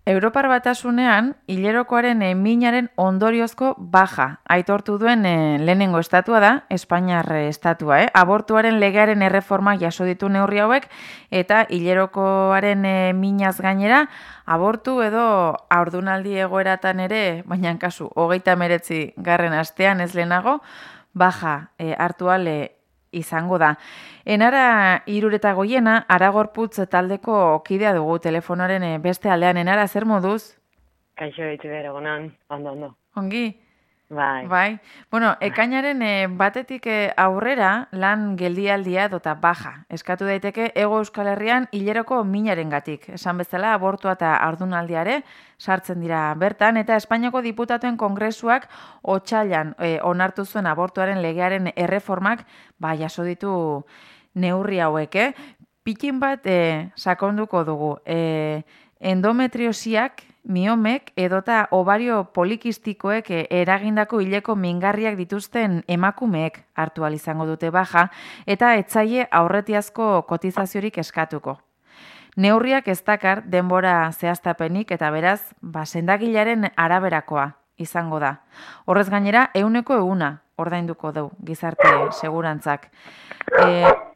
Europar Batasunean, hilerokoaren minaren ondoriozko baja aitortu duen lehenengo estatua da, Espainiar estatua. Abortuaren legearen erreformak jaso ditu neurri hauek, eta hilerokoaren minaz gainera, abortu edo haurdunaldi egoeratan ere, baina kasu, 39. astean ez lehenago, baja hartu ale izango da. Enara Iruretagoiena, Aragorputz taldeko kidea dugu telefonoaren beste aldean. Enara, zer moduz? Kaixo ditu bere, egunon, ondo. Ongi? Bai. Bueno, ekainaren batetik aurrera lan geldialdia dota baja. Eskatu daiteke Hego Euskal Herrian hileroko minarengatik. Esan bezala abortua eta haurdunaldiare sartzen dira bertan, eta Espainiako diputatuen kongresuak otsailean onartu zuen abortuaren legearen erreformak jaso ditu neurri hauek. Pikin bat sakonduko dugu. Endometriosiak, miomek edota ovario polikistikoek eragindako hileko mingarriak dituzten emakumeek hartu ahal izango dute baja, eta etzaile aurretiazko kotizaziorik eskatuko. Neurriak ez dakar denbora zehaztapenik, eta beraz, sendagilaren araberakoa izango da. Horrez gainera, 100% ordainduko du gizarte segurantzak.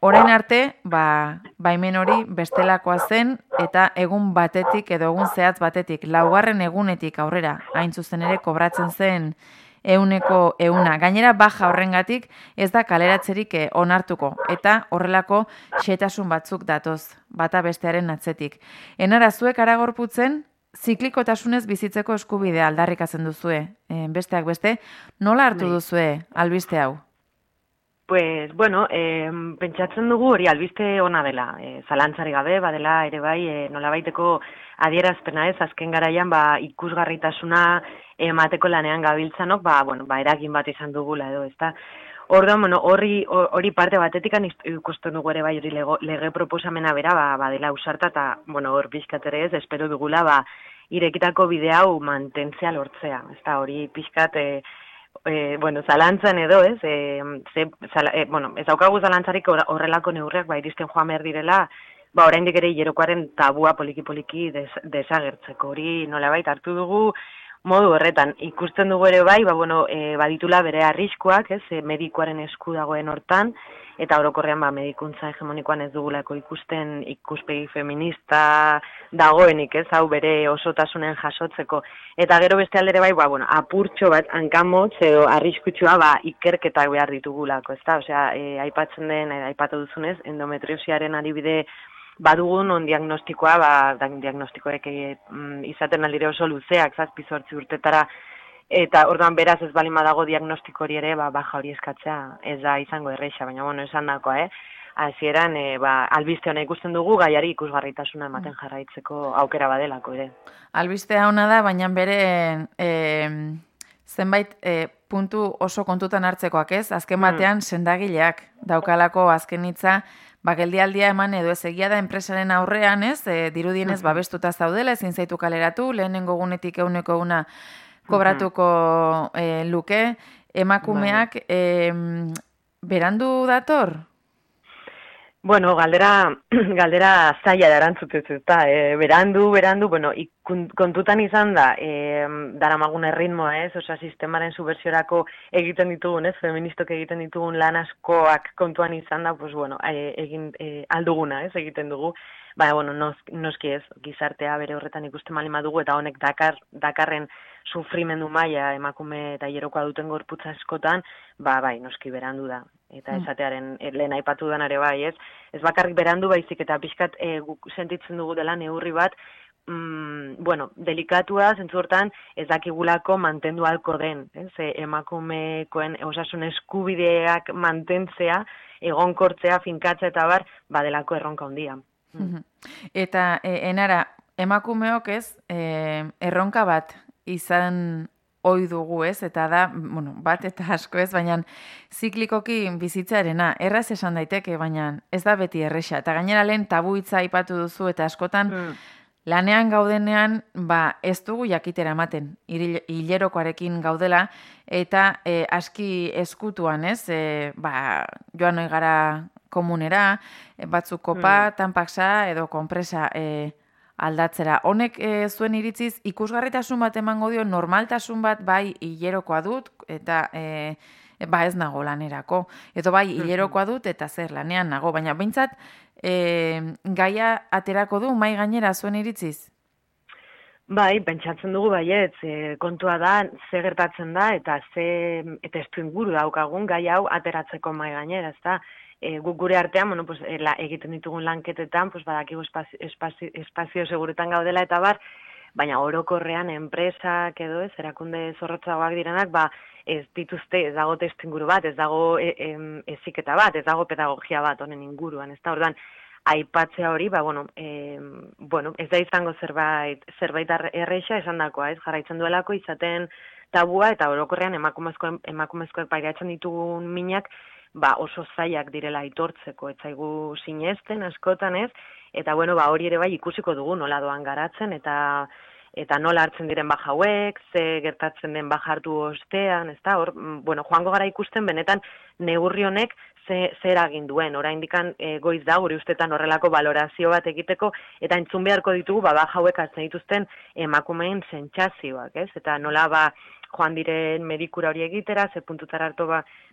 Orain arte, baimen hori bestelakoa zen, eta egun batetik edo egun zehatz batetik, 4. egunetik aurrera, hain zuzen ere kobratzen zen 100%. Gainera, baja horrengatik ez da kaleratzerik onartuko, eta horrelako xehetasun batzuk datoz, bata bestearen atzetik. Enara, zuek Aragorputzen, ziklikotasunez bizitzeko eskubidea aldarrikatzen duzue, besteak beste, nola hartu duzue albiste hau? Pues, bueno, pentsatzen dugu hori albiste ona dela, zalantzari gabe, badela ere bai, nolabaiteko adierazpena ez, azken garaian ikusgarritasuna emateko lanean gabiltzanok, eragin bat izan dugula edo, ezta. Orduan, hori parte batetik ikusten dugu ere bai hori lege proposamena bera, badela usarta, eta, hor pixkat ere ez, espero dugula, irekitako bide hau mantentzea lortzea, ezta, hori pixkat, zalantzan edo, ez, ez daukagu zalantzarik horrelako neurriak iristen joan behar direla, oraindik ere hilerokoaren tabua poliki desagertzeko, hori nolabait hartu dugu modu horretan. Ikusten dugu ere bai, baditula bere arriskuak, ez, medikuaren esku dagoen hortan, eta orokorrean medikuntza hegemonikoan ez dugulako ikusten ikuspegi feminista dagoenik, ez, hau bere osotasunen jasotzeko. Eta gero beste aldere bai, apurtxo bat hankamotz edo arriskutsua ikerketak behar ditugulako, ezta? Osea, aipatu duzunez, endometriosiaren adibide badugun on diagnostikoa, diagnostikoek izaten aldire oso luzeak, 7-8 urtetara, eta orduan beraz ez balin badago diagnostiko hori ere, baja hori eskatzea ez da izango erreixa, baina esan dakoa, hasieran albiste hona ikusten dugu, gaiari ikusgarritasuna ematen jarraitzeko aukera badelako ere. Albistea hona da, baina bere zenbait puntu oso kontutan hartzekoak, ez? Azken batean sendagileak daukalako azken hitza, geldialdia eman edo ez, egia da enpresaren aurrean, ez? Dirudienez babestuta zaudela, ezin zaitu kaleratu, lehenengo gunetik 100% kobratuko luke. Emakumeak berandu dator? Bueno, galdera zaila da erantzutez, eta berandu, kontutan izan da, daramagun erritmoa, ez, osea, sistemaren subversiorako egiten ditugun, ez, feministok egiten ditugun lan askoak kontuan izan da, egin alduguna, ez, egiten dugu, noski ez, gizartea bere horretan ikusten malin badugu, eta honek dakarren sufrimendu maila emakume eta hilerokoa duten gorputza askotan, noski berandu da. Eta esatearen lehen aipatu denare bai, ez? Ez bakarrik berandu baizik eta pixkat guk sentitzen dugu dela neurri bat, delikatua, zentzu hortan ez dakigulako mantendu halko den, ez? Emakumekoen osasun eskubideak mantentzea, egonkortzea, finkatzea eta badelako erronka handia. Eta, Enara, emakumeok ez, erronka bat izan ohi dugu, ez, eta da, bat eta asko ez, baina ziklikoki bizitzarena, erraz esan daiteke, baina ez da beti erresa. Eta gainera lehen tabu hitza aipatu duzu, eta askotan lanean gaudenean, ez dugu jakitera ematen, hilerokoarekin gaudela, eta aski eskutuan, ez, joan ohi gara komunera, batzuk kopa, tanpaksa edo konpresa aldatzera. Honek zuen iritziz ikusgarritasun bat emango dio, normaltasun bat bai hilerokoa dut eta ez nago lanerako. Edo bai hilerokoa dut eta zer lanean nago, baina behintzat gaia aterako du mai gainera zuen iritziz? Bai, pentsatzen dugu baietz, kontua da, ze gertatzen da, eta testu inguru daukagun gai hau ateratzeko mai gainera, ezta? Guk gure artean, bueno, pues, egiten ditugun lanketetan, pues, badakigu espazio seguretan gaudela eta bar, baina orokorrean enpresak edo erakunde zorrotzagoak direnak, ez dituzte, ez dago testu inguru bat, ez dago heziketa bat, ez dago pedagogia bat honen inguruan, ezta? Orduan, aipatzea hori, ez da izango zerbait erreixa esandakoa, ez jarraitzen duelako izaten tabua eta orokorrean emakumezkoek pairatzen ditugun minak oso zailak direla aitortzeko, ez zaigu sinesten askotan, ez? Eta hori ere bai ikusiko dugu nola doan garatzen eta nola hartzen diren baja hauek, ze gertatzen den baja hartu ostean, ezta? Hor, joango gara ikusten benetan neurri honek zer egin duen, oraindikan goiz da gure ustetan horrelako balorazio bat egiteko eta entzun beharko ditugu baja hauek hartzen dituzten emakumeen sentsazioak, ez? Eta nola joan diren medikura hori egitera, ze puntutara hartu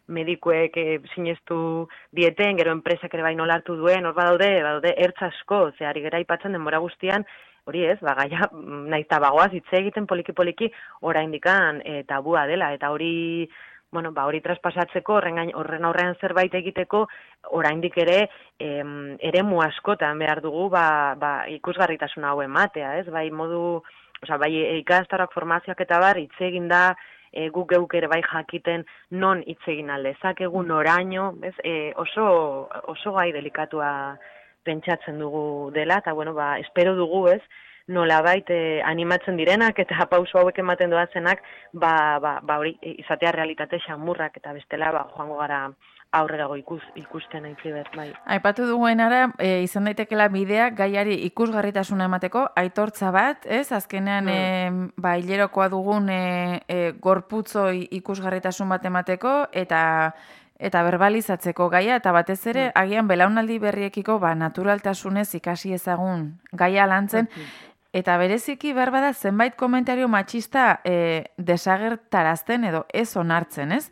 medikuek sinestu dieten, gero enpresak ere bai nola hartu duen, hor badaude ertz asko, ze ari gera aipatzen denbora guztian, hori ez, gaia nahiz tabagoaz hitz egiten poliki-poliki oraindikan tabua dela, eta hori hori traspasatzeko, horren aurrean zerbait egiteko, oraindik ere eremu askotan behar dugu ikusgarritasuna hau ematea, ez? Bai ikastaroak formazioak eta bar, hitz egin da, guk geuk ere bai jakiten non hitz egin aldezakegu, noraino, oso gai delikatua pentsatzen dugu dela, eta espero dugu, ez? Nolabait animatzen direnak eta pauso hauek ematen doazenak hori izatea realitate xamurrak eta bestela joango gara aurrerago ikusten aitziber, bai. Aipatu duguenara, izan daitekela bideak gaiari ikusgarritasuna emateko, aitortza bat, ez? Azkenean, hilerokoa dugun gorputzoi ikusgarritasun bat emateko eta berbalizatzeko gaia, eta batez ere, agian belaunaldi berriekiko naturaltasunez ikasi ezagun gaia lantzen, eta bereziki berbada zenbait komentario matxista desagertarazten edo ez onartzen, ez?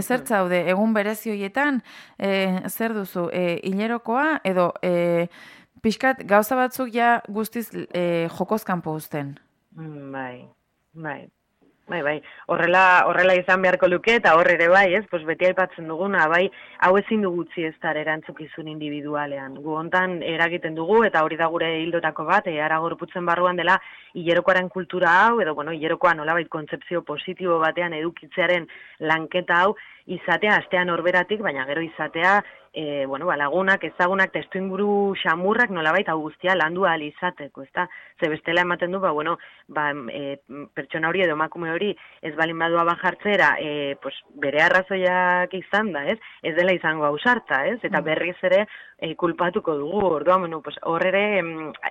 Zer zaude, egun berezi horietan, zer duzu, hilerokoa edo pixkat gauza batzuk ja guztiz jokozkanpo uzten? Bai, horrela izan beharko luke eta hor ere bai, ez? Beti aipatzen duguna, bai, hau ezin dugu utzi ez da erantzukizun individualean. Gu hontan eragiten dugu eta hori da gure hildotako bat, ara gorputzen barruan dela hilerokoaren kultura hau, edo hilerokoa nolabait kontzepzio positibo batean edukitzearen lanketa hau, izatea astean horberatik, baina gero izatea lagunak, ezagunak, testuinguru xamurrak nolabait hau guztia landu ahal izateko, ezta? Ze bestela ematen du, pertsona hori edo emakume hori ez balin badua bajartzera, bere arrazoiak izan da, ez? Ez dela izango ausarta, ez? Eta berriz ere kulpatuko dugu, orduan, hor ere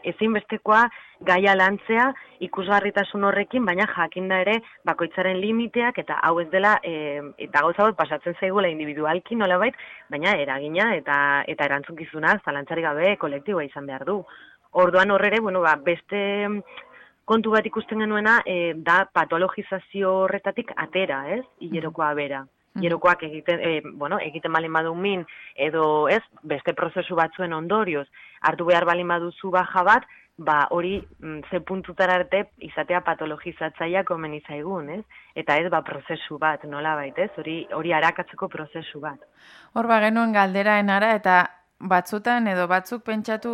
ezinbestekoa gaia lantzea ikusgarritasun horrekin, baina jakinda ere bakoitzaren limiteak eta hau ez dela, eta gauza bat pasatzen zaigula individualki nolabait, baina eragina eta erantzunkizuna zalantzarik gabe kolektiboa izan behar du. Orduan horrere, beste kontu bat ikusten genuena da patologizazio horretatik atera, ez? Hilerokoa bera. Hilerokoak egiten balin badu min, edo ez, beste prozesu batzuen ondorioz, hartu behar balin baduzu baja bat, hori ze puntutara arte izatea patologizatzaia komen izaigun, ez? Eta ez prozesu bat, nolabait, ez? Hori arakatzeko prozesu bat. Hor genuen galderaenara eta batzutan edo batzuk pentsatu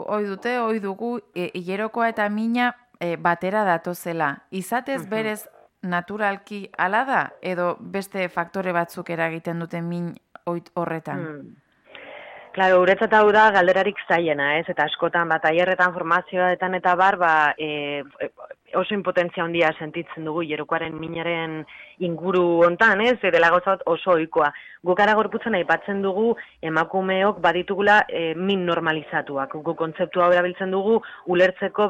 ohi dugu hilerokoa eta mina batera datozela. Izatez berez naturalki hala da edo beste faktore batzuk eragiten duten min horretan? Claro, guretzat hau da galderarik zailena, ez? Eta askotan tailerretan formazioetan eta bar, oso impotentzia handia sentitzen dugu hilerokoaren minaren inguru hontan, ez? Dela gauza bat oso ohikoa. Guk ara gorputzen aipatzen dugu emakumeok baditugula min normalizatuak. Guk kontzeptua hau erabiltzen dugu ulertzeko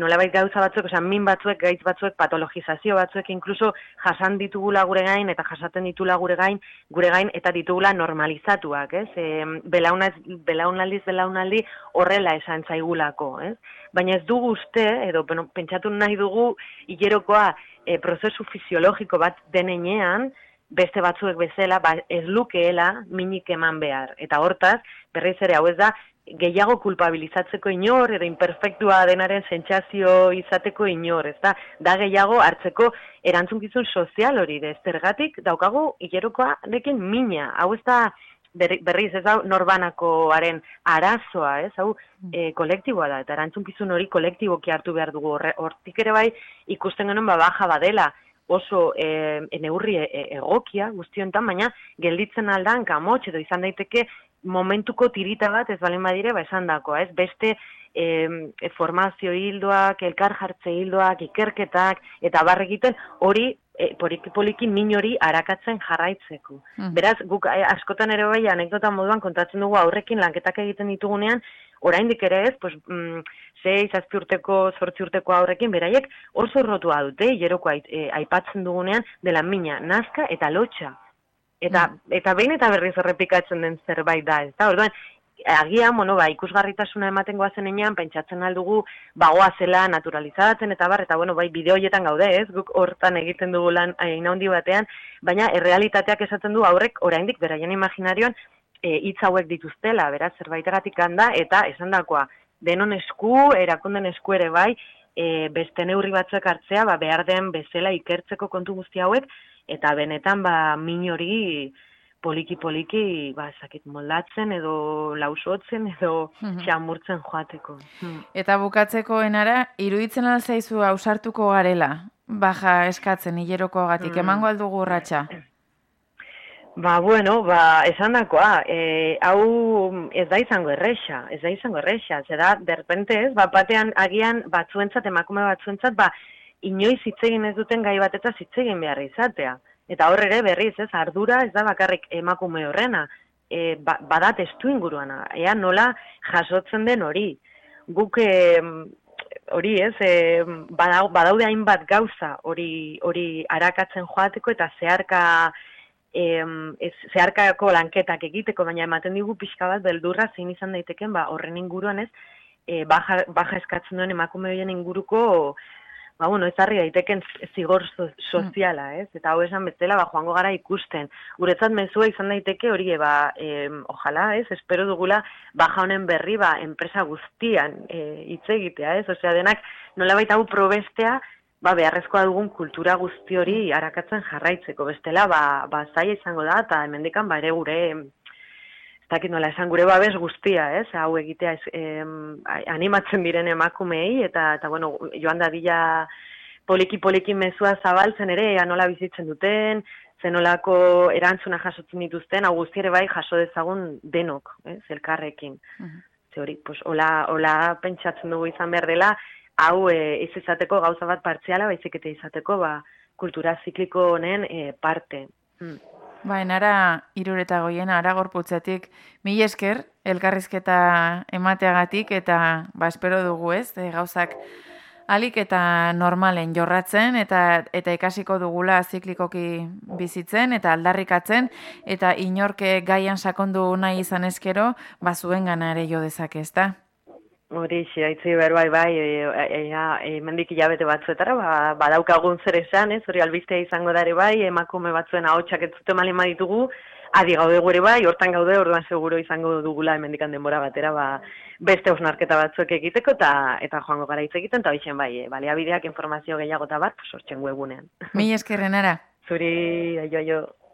nolabait gauza batzuek, min batzuek, gaitz batzuek, patologizazio batzuek, inkluso jasan ditugula gure gain, eta jasaten ditugula gure gain, eta ditugula normalizatuak, ez? Belaunaldi horrela esan zaigulako, ez? Baina ez dugu uste, edo pentsatu nahi dugu, hilerokoa prozesu fisiologiko bat denean, beste batzuek bezala, ez lukeela minik eman behar. Eta hortaz, berriz ere hau ez da, gehiago kulpabilizatzeko inor, edo imperfektua denaren sentsazio izateko inor, ez da gehiago hartzeko erantzunkizun sozial hori, zergatik daukagu hilerokoarekin mina, hau ez da berriz ez da norbanakoaren arazoa, ez hau kolektiboa da, eta erantzunkizun hori kolektiboki hartu behar dugu, hortik ere bai ikusten genuen baja badela, oso neurri egokia guztiontan, baina gelditzen aldan kamotx edo izan daiteke momentuko tirita bat ez balen badire esan dakoa, ez beste formazio hildoak, elkar jartze hildoak, ikerketak, eta barregiten hori poliki min hori arakatzen jarraitzeko. Beraz, guk askotan ere bai anekdota moduan kontatzen dugu aurrekin lanketak egiten ditugunean, oraindik ere ez, 6-7 urteko, 8 urteko aurrekin, beraiek oso rotua dute, hileroko aipatzen dugunean, dela mina, nazka eta lotxa. Eta behin eta berriz errepikatzen den zerbait da, ez da? Orduan, agian, ikusgarritasuna ematen goazen enean, pentsatzen aldugu, goazela naturalizatzen eta bideo horietan gaude, ez? Guk hortan egiten dugu lan handi batean, baina errealitateak esaten du aurrek oraindik beraien imaginarioan hitz hauek dituztela, beraz, zerbaitegatik handa, eta esan dakoa, denon esku, erakunden esku ere bai, beste neurri batzuek hartzea, behar den bezala ikertzeko kontu guzti hauek, eta benetan, min hori poliki, ezakit moldatzen, edo lausotzen, edo xamurtzen joateko. Eta bukatzeko enara, iruditzen alzaizu ausartuko garela, baja eskatzen hilerokoagatik, emango aldugu urratsa? Esan dakoa, hau ez da izango erresa, zera, derrepente ez, batean agian batzuentzat, emakume batzuentzat, inoiz hitz egin ez duten gai batetaz hitz egin behar izatea. Eta hor ere berriz, ez, ardura ez da bakarrik emakume horrena, bada testu inguruana, nola jasotzen den hori. Guk hori ez, badaude hainbat gauza hori arakatzen joateko eta zeharkako lanketak egiteko, baina ematen digu pixka bat beldurra zein izan daiteken horren inguruan ez, baja eskatzen duen emakume horien inguruko ezarri daiteken zigor soziala, ez? Eta hau esan bezala, joango gara ikusten. Guretzat mezua izan daiteke hori, ojala, ez? Espero dugula, baja honen berri, enpresa guztian hitz egitea, ez? Osea, denak nolabait hau probestea, beharrezkoa dugun kultura guzti hori arakatzen jarraitzeko. Bestela, zaila izango da, eta hemendikan, ere gure, ez dakit nola esan, gure babes guztia, ez? Hau egitea animatzen diren emakumeei, eta joan da dila poliki mezua zabaltzen ere, nola bizitzen duten, zenolako erantzuna jasotzen dituzten, hau guzti ere bai jaso dezagun denok, ez? Elkarrekin. Ze hori, hola pentsatzen dugu izan behar dela, hau ez izateko gauza bat partziala, baizik eta izateko kultura zikliko honen parte. Enara 3:08, ara gorputzetik, mila esker, elkarrizketa emateagatik, eta espero dugu ez, gauzak alik eta normalen jorratzen, eta ikasiko dugula ziklikoki bizitzen, eta aldarrikatzen, eta inorke gaian sakondu nahi izan eskero, zuen gana ere jo dezake, ezta? Hori, haitzi bai, mendik hilabete batzuetara, badaukagun zer esan, ez, hori albistea izango dare bai, emakume batzuen ahotsak ez zute malin baditugu, adi gaude gure bai, hortan gaude, orduan seguro izango dugula hemendikan denbora batera, beste osnarketa batzuek egiteko, eta joango gara hitz egiten, eta hoixen bai, baliabideak informazio gehiago eta sortzen webunean. Mila eskerren ara. Zuri, aio.